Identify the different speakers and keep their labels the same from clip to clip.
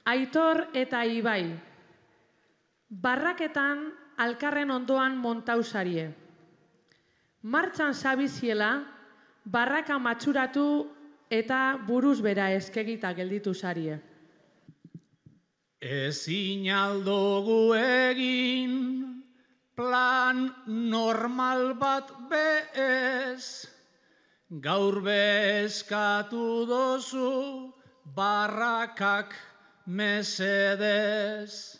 Speaker 1: Aitor eta Ibai, barraketan alkarren ondoan montausarie. Martxan sabiziela, barraka matxuratu eta buruz bera eskegita gelditu sarie.
Speaker 2: Ezin aldugu egin plan normal bat bez, gaur bezkatu dozu barrakak mesedez.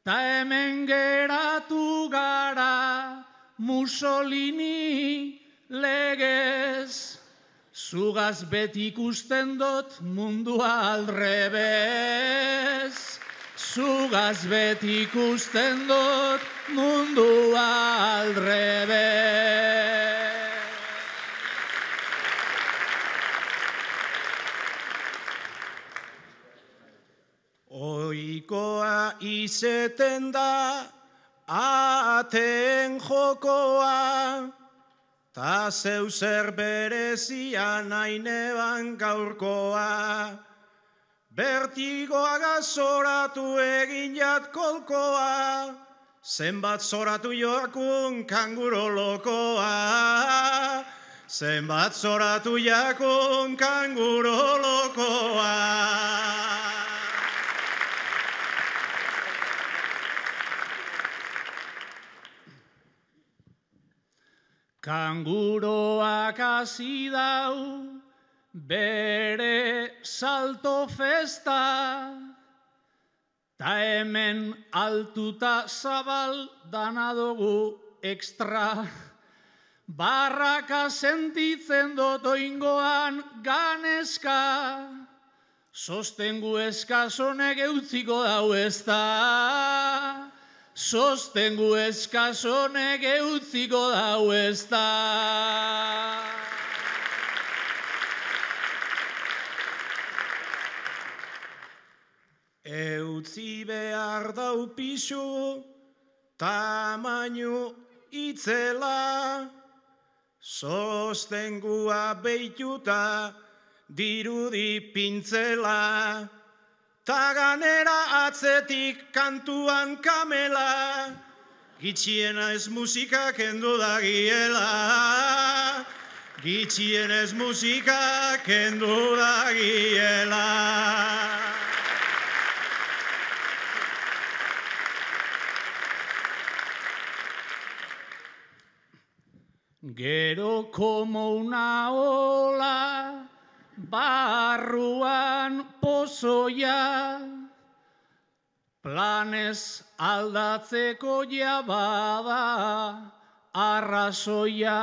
Speaker 2: Ta hemen geratu gara Mussolini legez, zugaz beti ikusten dut mundua aldrebez. Zugaz beti ikusten dut mundua aldrebez. Oikoa izeten da aten jokoa, ta zeu zer berezia nahi neban gaurkoa. Bertigoa gazoratu egin jat kolkoa, zenbat zoratu joakun kanguro lokoa. Zenbat zoratu jakun kanguro lokoa. Kanguroak hasi dau bere salto festa, ta hemen altuta zabal dana dugu ekstra. Barraka sentitzen dut oingoan ganeska, sostengu eskasonek eutziko dau ezta. Sostengu eskasonek eutziko dau ezta. Eutzi behar dau pixu, tamainu itzela, sostengua behituta dirudi pintzela. Ta ganera atzetik kantuan kamela, gitxiena ez musika kendu dagiela. Gitxiena ez musika kendu dagiela. Gero como una ola, barruan pozoia, planez aldatzeko jabada arrazoia.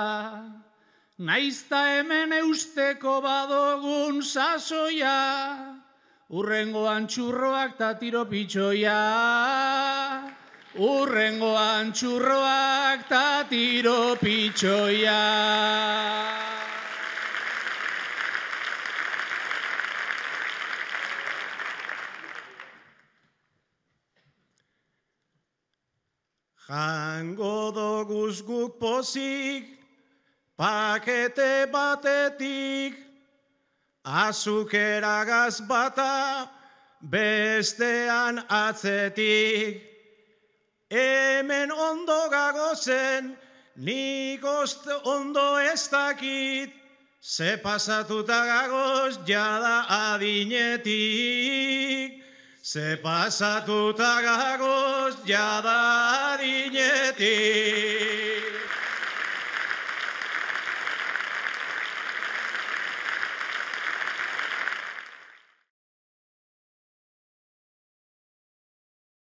Speaker 2: Naizta hemen eusteko badogun sasoia, urrengoan txurroak ta tiro pitxoia. Urrengoan txurroak ta tiro pitxoia. Jango doguz guk pozik, pakete batetik, azukeragaz bata, bestean atzetik. Hemen ondo gagozen, nik ondo ez dakit, ze pasatuta gagoz jada adinetik. Ze pasatuta gagoz jada adinetik.